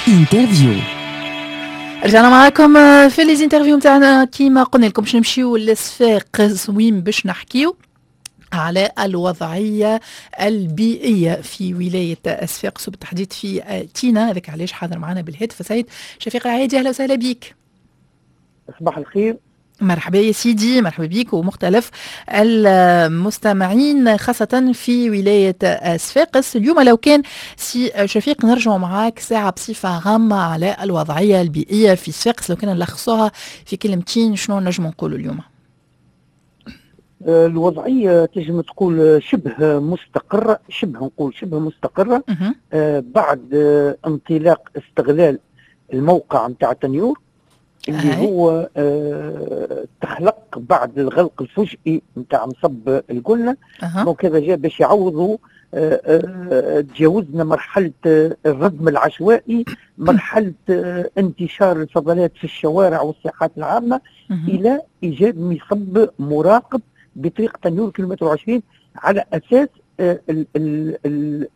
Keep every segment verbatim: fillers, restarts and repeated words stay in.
interview. رجعنا معاكم في les interviews نتاعنا. كيما قلنا لكم باش نمشيو للصفاقس وين باش نحكيو على الوضعية البيئية في ولاية صفاقس وبالتحديد في تينا. هذاك علاش حاضر معنا بالهاتف سيد شفيق العيادي. أهلا وسهلا بك. صباح الخير. مرحبا يا سيدي، مرحبا بك ومختلف المستمعين خاصة في ولاية صفاقس. اليوم لو كان سي شفيق نرجع معاك ساعة بصفة عامة على الوضعية البيئية في صفاقس، لو كان نلخصوها في كلمتين شنو نجم نقولوا اليوم؟ الوضعية تنجم تقول شبه مستقرة، شبه نقول شبه مستقرة آه بعد آه انطلاق استغلال الموقع نتاع تنيور اللي هاي. هو آه تخلق بعد الغلق الفجئي نتاع مصب القلة. أه. donc هذا جاء باش يعوضوا آه آه تجاوزنا مرحلة آه الردم العشوائي، مرحلة آه انتشار الفضلات في الشوارع والساحات العامة، أه. إلى إيجاد مصب مراقب بطريق تنيور كيلومتر وعشرين على أساس آه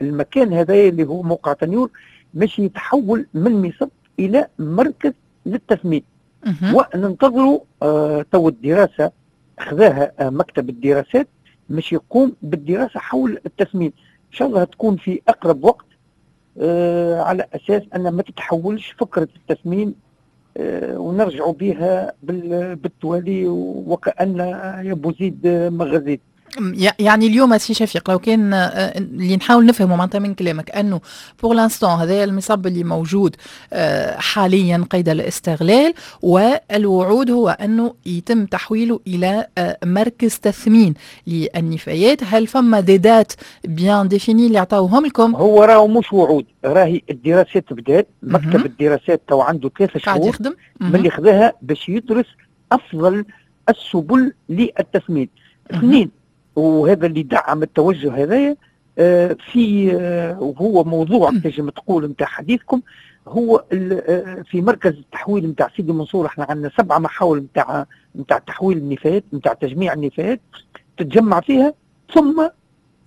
المكان هذا اللي هو موقع تنيور مش يتحول من مصب إلى مركز للتثمين. وننتظروا آه تو الدراسة خذاها آه مكتب الدراسات مش يقوم بالدراسة حول التثمين، إن شاء الله تكون في أقرب وقت آه على أساس أن ما تتحولش فكرة التثمين آه ونرجعوا بها بالتوالي وكأن يا بوزيد مغازيد. يعني اليوم سي شفيق لو كان اللي نحاول نفهمه معناتها من كلامك انه pour l'instant هذا المصب اللي موجود حاليا قيد الاستغلال، والوعود هو انه يتم تحويله الى مركز تثمين للنفايات. هل فما des dates bien définies اللي عطاوهم لكم؟ هو راهو مش وعود، راهي الدراسات بدات، مكتب الدراسات تو عنده ثلاثة شهور من اللي خذاها باش يدرس افضل السبل للتثمين. اثنين، وهذا اللي دعم التوجه هذايا آه في آه وهو موضوع تنجم تقول نتاع حديثكم، هو في مركز التحويل نتاع سيدي منصور. احنا عندنا سبعة محاول نتاع نتاع تحويل النفايات، نتاع تجميع النفايات، تتجمع فيها ثم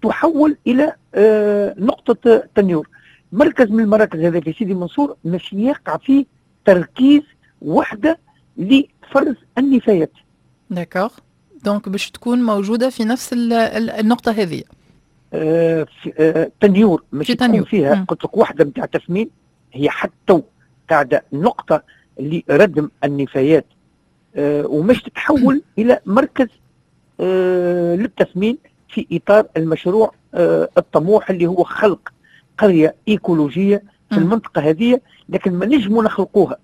تحول الى آه نقطة تنيور. مركز من المراكز هذا في سيدي منصور مش يقع فيه تركيز وحده لفرز النفايات. d'accord، donc باش تكون موجودة في نفس النقطة هذه. آه آه تنيور مش تكون فيها قلت لك وحدة نتاع تثمين، هي حتى قاعدة نقطة لردم النفايات آه ومش تتحول إلى مركز آه للتثمين في إطار المشروع آه الطموح اللي هو خلق قرية إيكولوجية في المنطقة هذه. لكن ما نجموا نخلقوها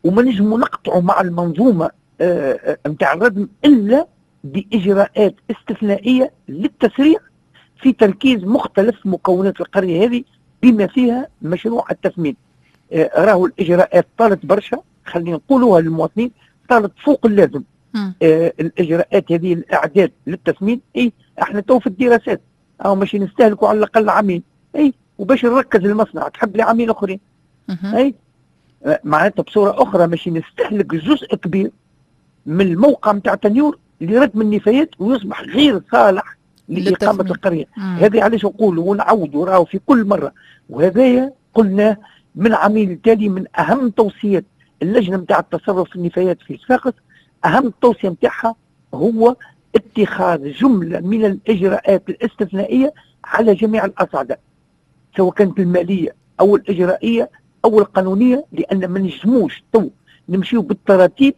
وما نجموا نقطعوا مع المنظومة نتاع آه الردم إلا بإجراءات استثنائية للتسريع في تركيز مختلف مكونات القرية هذه بما فيها مشروع التثمين. آه راهو الإجراءات طالت برشا، خلينا نقولوها للمواطنين، طالت فوق اللازم. آه الإجراءات هذه الإعداد للتثمين، إيه احنا تو في الدراسات أو ماشي نستهلكوا على الأقل عامين، إيه وباش نركز المصنع تحب لي عامين أخرين، إيه آه معناتها بصورة أخرى ماشي نستهلك جزء كبير من الموقع نتاع تنيور لردم النفايات ويصبح غير صالح لإقامة القرية. هذا علاش نقولوا ونعودوا راهو في كل مرة، وهذايا قلناه من عامين التالي من أهم توصيات اللجنة نتاع التصرف في النفايات في صفاقس، أهم توصية نتاعها هو اتخاذ جملة من الإجراءات الاستثنائية على جميع الأصعدة، سواء كانت المالية أو الإجرائية أو القانونية، لأن ما نجموش تو نمشيو بالتراتيب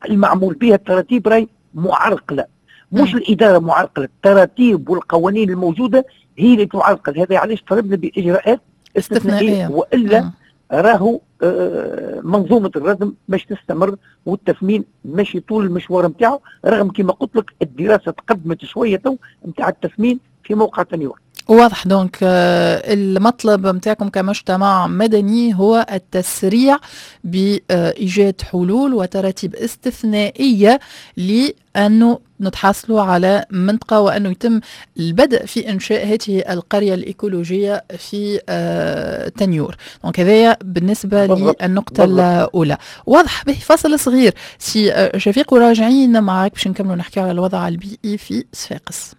المعمول بها. التراتيب راي معرقله، مش الادارة معرقله، التراتيب والقوانين الموجودة هي اللي تعرقل. هذا علاش طلبنا باجراءات استثنائية، والا راهو آه منظومة الردم باش تستمر والتثمين ماشي طول المشوار نتاعو، رغم كما قلت لك الدراسة تقدمت شوية تو نتاع التثمين في موقع تنيور. واضح. donc المطلب نتاعكم كمجتمع مدني هو التسريع بإيجاد حلول وتراتيب استثنائية لأنه نتحصلوا على منطقة وأنه يتم البدء في إنشاء هذه القرية الإيكولوجية في تنيور. donc هذايا بالنسبة للنقطة الأولى. واضح. به فصل صغير سي شفيق وراجعين معاك باش نكملوا نحكي على الوضع البيئي في صفاقس.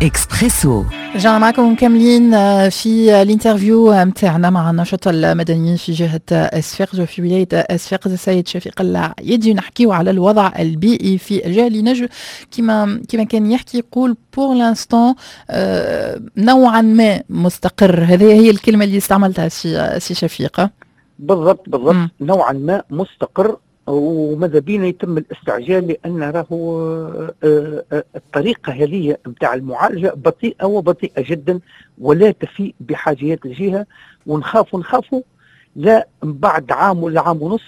اكسبريسو. رجعنا معكم كاملين في ال interview متاعنا مع الناشط المدني في جهة صفاقس وفي ولاية صفاقس السيد شفيق العيادي، نحكيو على الوضع البيئي في الجهة اللي نجم كما كما كان يحكي يقول pour l'instant نوعا ما مستقر. هذه هي الكلمة اللي استعملتها سي سي شفيق. بالضبط بالضبط، نوعا ما مستقر، وماذا بينا يتم الاستعجال لان راهو آه، آه، الطريقة هذه نتاع المعالجة بطيئه وبطيئه جدا ولا تفي بحاجيات الجهه، ونخافوا نخافوا لا بعد عام ولا عام ونص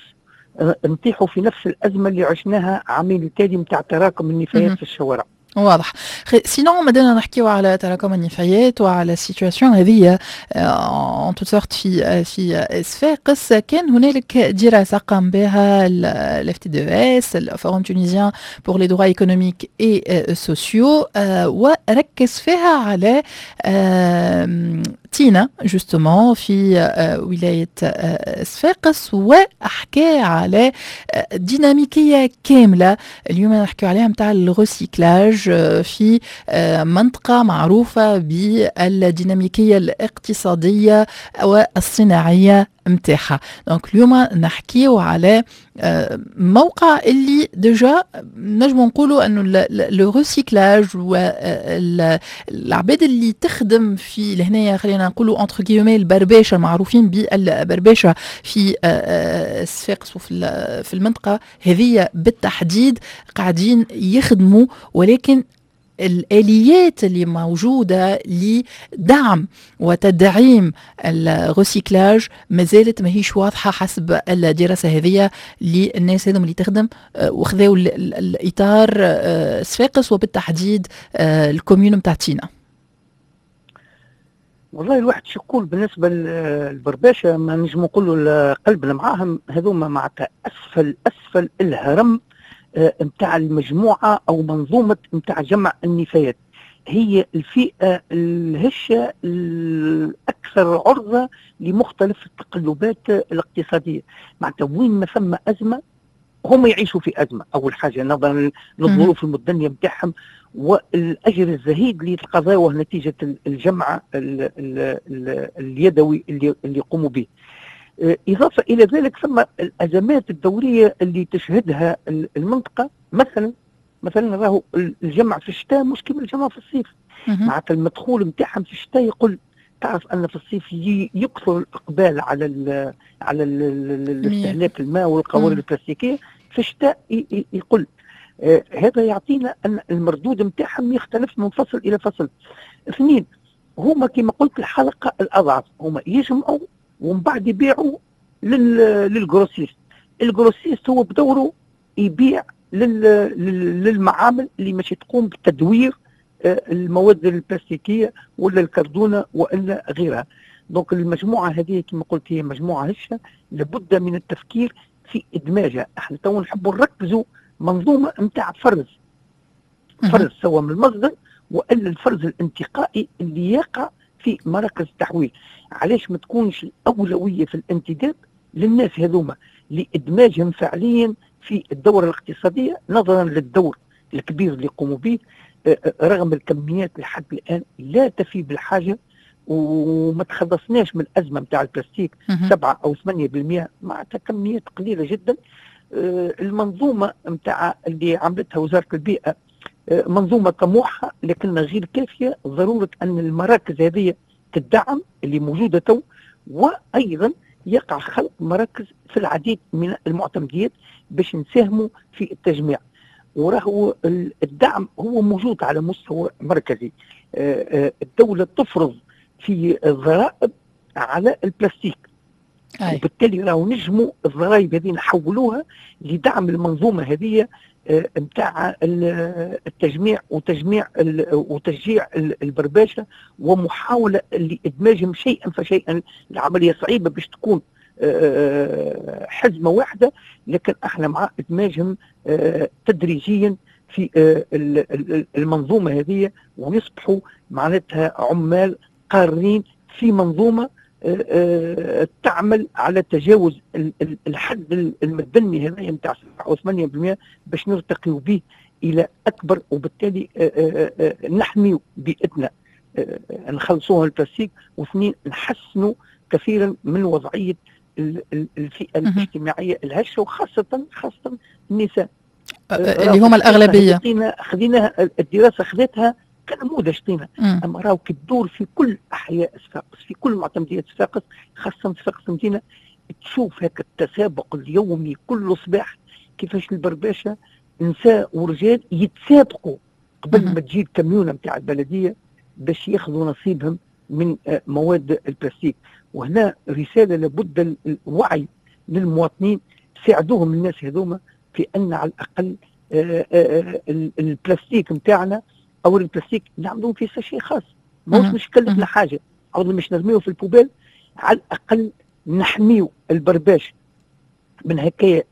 آه، نطيحوا في نفس الازمة اللي عشناها عامين التالي نتاع تراكم النفايات في الشوارع. واضح. sinon مادام نحكيو على تراكم النفايات وعلى ال situation هذه en toutes sortes في في صفاقس، كان هنالك دراسة قام بها ال FTDES، ال Forum tunisien pour les droits économiques et sociaux، وركز فيها على تينا justement في ولاية صفاقس، وحكى على ديناميكية كاملة اليوم نحكيو عليها نتاع ال recyclage في منطقة معروفة بالديناميكيه الاقتصادية والصناعيه متاعها. donc اليوم نحكيو على موقع اللي déjà نجم نقولوا انه le recyclage والعباد اللي تخدم في لهنايا، خلينا نقولوا entre guillemets البرباشه، المعروفين بالبرباشه في صفاقس وفي في المنطقة هذه بالتحديد، قاعدين يخدموا، ولكن الآليات اللي موجودة لدعم وتدعيم ال recyclage ما زالت ماهيش واضحة حسب الدراسة هذه للناس هذم اللي تخدم آه، وخذاو الإطار آه، صفاقس وبالتحديد آه، ال commune نتاع تينا. والله الواحد شو يقول بالنسبة للبرباشة، ما نجم نقولوا قلبنا معاهم. هذوما معناتها أسفل أسفل الهرم نتاع المجموعة أو منظومة نتاع جمع النفايات، هي الفئة الهشة الأكثر عرضة لمختلف التقلبات الاقتصادية. معناتها وين ما ثم أزمة هم يعيشوا في أزمة. أول حاجة نظرا للظروف المدنية نتاعهم والأجر الزهيد اللي يتقاضوه نتيجة الجمع ال ال ال اليدوي اللي اللي يقوموا به. إضافة إلى ذلك ثم الأزمات الدورية اللي تشهدها المنطقة. مثلا مثلا راهو الجمع في الشتاء مش كيما الجمع في الصيف، معناتها المدخول نتاعهم في الشتاء يقل. تعرف ان في الصيف يكثر الاقبال على ال على الاستهلاك الماء والقوارير البلاستيكيه، في الشتاء يقل. آه هذا يعطينا ان المردود نتاعهم يختلف من فصل الى فصل. اثنين، هما كما قلت الحلقة الاضعف، هما يجمعوا ومن بعد يبيعوا لل grossiste، ال grossiste هو بدوره يبيع للمعامل اللي ماشي تقوم بتدوير آه، المواد البلاستيكية ولا الكردونه والا غيرها. donc المجموعة هذه كما قلت هي مجموعة هشه، لابد من التفكير في ادماجها. احنا تو نحبوا نركزوا منظومة نتاع فرز فرز سواء من المصدر والا الفرز الانتقائي اللي يقع في مراكز التحويل. علاش ما تكونش الاولوية في الانتداب للناس هذوما لادماجهم فعليا في الدورة الاقتصاديه، نظرا للدور الكبير اللي يقوموا به، آه، آه، رغم الكميات لحد الان لا تفي بالحاجة وما تخلصناش من الازمة نتاع البلاستيك، سبعة او ثمانية بالمئة معناتها كميات قليله جدا. آه، المنظومة نتاع اللي عملتها وزارة البيئة منظومة طموحه لكنها غير كافيه. ضرورة ان المراكز هذه تدعم اللي موجودة تو، وايضا يقع خلق مراكز في العديد من المعتمديات باش نساهموا في التجميع. وراهو الدعم هو موجود على مستوى مركزي، آه، آه، الدولة تفرض في الضرائب على البلاستيك. أي. وبالتالي راهو نجموا الضرائب هذه نحولوها لدعم المنظومة هذه نتاع التجميع وتجميع وتشجيع البرباشه ومحاولة لادماجهم شيئا فشيئا. العملية صعيبة باش تكون آه، حزمه واحده، لكن احنا مع ادماجهم آه، تدريجيا في آه، المنظومة هذه ويصبحوا معناتها عمال قارين في منظومة تعمل على تجاوز الحد المدني هذا نتاع سبعة أو ثمانية بالمئة باش نرتقيوا به الى اكبر، وبالتالي آه، آه، نحمي بيئتنا، نخلصوها البلاستيك، واثنين نحسنوا كثيرا من وضعية الفئة الاجتماعية الهشه، وخاصة خاصة النساء اللي هما الاغلبية. خذينا الدراسة خذتها كنموذج طينا، اما راهو كي تدور في كل احياء صفاقس، في كل معتمديات صفاقس، خاصة صفاقس المدينه، تشوف هكا التسابق اليومي كل صباح كيفاش البرباشه نساء ورجال يتسابقوا قبل ما تجي الكميونه نتاع البلدية باش ياخذوا نصيبهم من آه، مواد البلاستيك. وهنا رسالة لابد الوعي للمواطنين، ساعدوهم الناس هذوما في ان على الاقل آه، آه، البلاستيك نتاعنا او البلاستيك نعملوه في sachet خاص، ماهوش مش يكلفنا حاجة، عوض مش نرميوه في ال poubelle، على الاقل نحميو البرباش من هكايا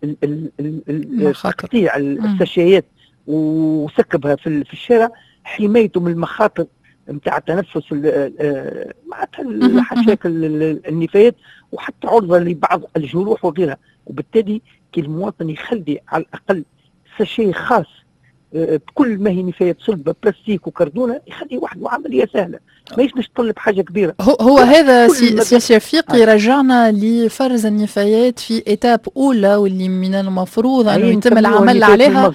تقطيع الساشيات وسكبها في الشارع، حمايته من المخاطر نتاع التنفس معناتها الحشاك النفايات، وحتى عرضه لبعض الجروح وغيرها. وبالتالي كي المواطن يخلي على الاقل sachet خاص آه، بكل ما هي نفايات صلبه بلاستيك وكردونه، يخلي وحده، عملية سهلة ماهيش باش تطلب حاجة كبيرة. هو, هو هذا سي, سي شفيق يرجعنا لفرز النفايات في étape اولى، واللي من المفروض انه يتم العمل عليها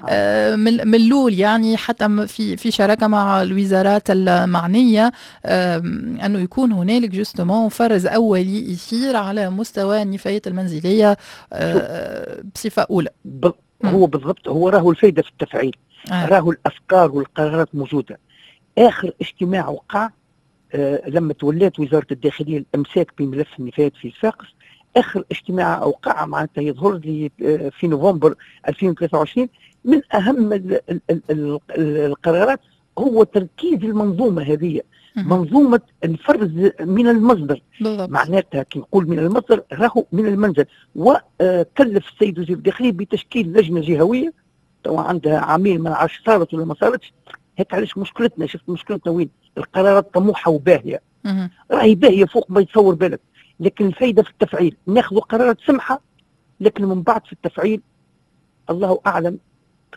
آه، من الاول، يعني حتى في في شراكة مع الوزارات المعنيه، انه يكون هنالك justement فرز اولي يصير على مستوى النفايات المنزلية آه، بصفة اولى. هو بالضبط، هو راهو الفايدة في التفعيل. آه. راهو الافكار والقرارات موجوده. اخر اجتماع وقع آه لما تولات وزارة الداخلية الامساك بملف النفايات في صفاقس، اخر اجتماع اوقع معناتها يظهر لي آه في نوفمبر ألفين وثلاثة وعشرين، من اهم ال ال ال القرارات هو تركيز المنظومة هذه، منظومة الفرز من المصدر. بالضبط. معناتها كي نقول من المصدر راهو من المنزل. وكلف السيد وزير الداخلية بتشكيل لجنة جهويه، تو عندها عامين، ما نعرفش صارت ولا ما صارتش. هيك علاش مشكلتنا، شفت مشكلتنا وين؟ القرارات طموحه وباهيه، راهي باهيه فوق ما يتصور بالك، لكن الفايدة في التفعيل. ناخذ قرارات سمحه لكن من بعد في التفعيل الله اعلم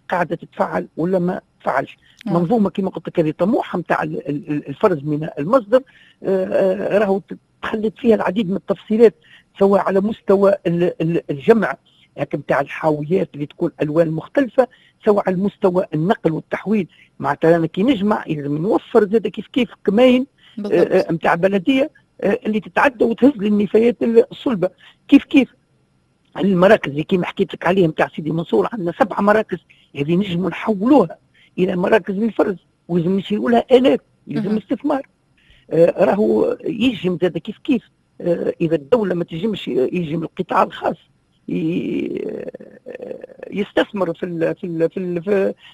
قاعدة تتفعل ولا ما تفعلش. منظومة كما قلت لك هذه طموحه نتاع الفرز من المصدر، آه، آه، راهو تخلت فيها العديد من التفصيلات، سواء على مستوى الجمع نتاع الحاويات اللي تكون الوان مختلفه، سواء على مستوى النقل والتحويل. معناتها انا كي نجمع لازم نوفر زاد كيف كيف كماين نتاع بلديه اللي تتعدى وتهز للنفايات الصلبه. كيف كيف المراكز اللي كيما حكيت لك عليهم تاع سيدي منصور، عندنا سبع مراكز، هذه نجموا نحولوها الى مراكز للفرز، ولازم نشيلوا لها الات، يلزم استثمار. آه راهو يجم زاد كيف كيف آه اذا الدولة ما تجمش يجم القطاع الخاص يستثمر في ال في ال في ال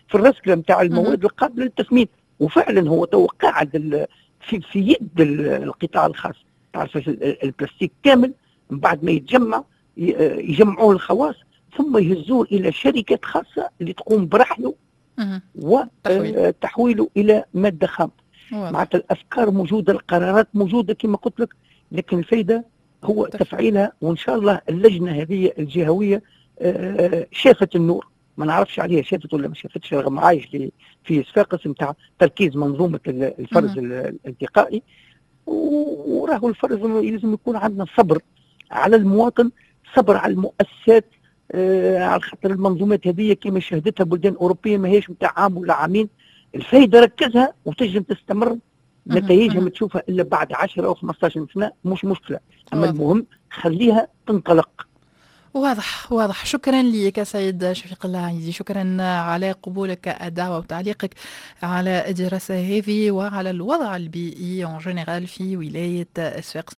في الرسكله نتاع المواد القابلة للتثمين. وفعلا هو تو قاعد في في يد القطاع الخاص. تعرف البلاستيك كامل من بعد ما يتجمع يجمعوه الخواص ثم يهزوه الى شركات خاصة اللي تقوم برحله وتحويله الى مادة خام. معناتها الافكار موجوده، القرارات موجودة كما قلت لك، لكن الفايدة هو تفعيلها. وان شاء الله اللجنة هذه الجهوية آه، شافت النور، ما نعرفش عليها شافت ولا ما شافتش، رغم عايش في صفاقس نتاع تركيز منظومة الفرز الانتقائي. وراهو الفرز لازم يكون عندنا صبر على المواطن، صبر على المؤسسات، آه على خاطر المنظومات هذه كما شهدتها بلدان اوروبية ما هيش نتاع عام ولا عامين. الفايدة ركزها وتنجم تستمر، نتائجها ما تشوفها الا بعد عشرة او خمسطاش سنه، مش مشكله، اما المهم خليها تنطلق. واضح واضح. شكرا لك سيد شفيق العيدي، شكرا على قبولك الدعوة وتعليقك على الدراسة هذه وعلى الوضع البيئي en général في ولاية صفاقس.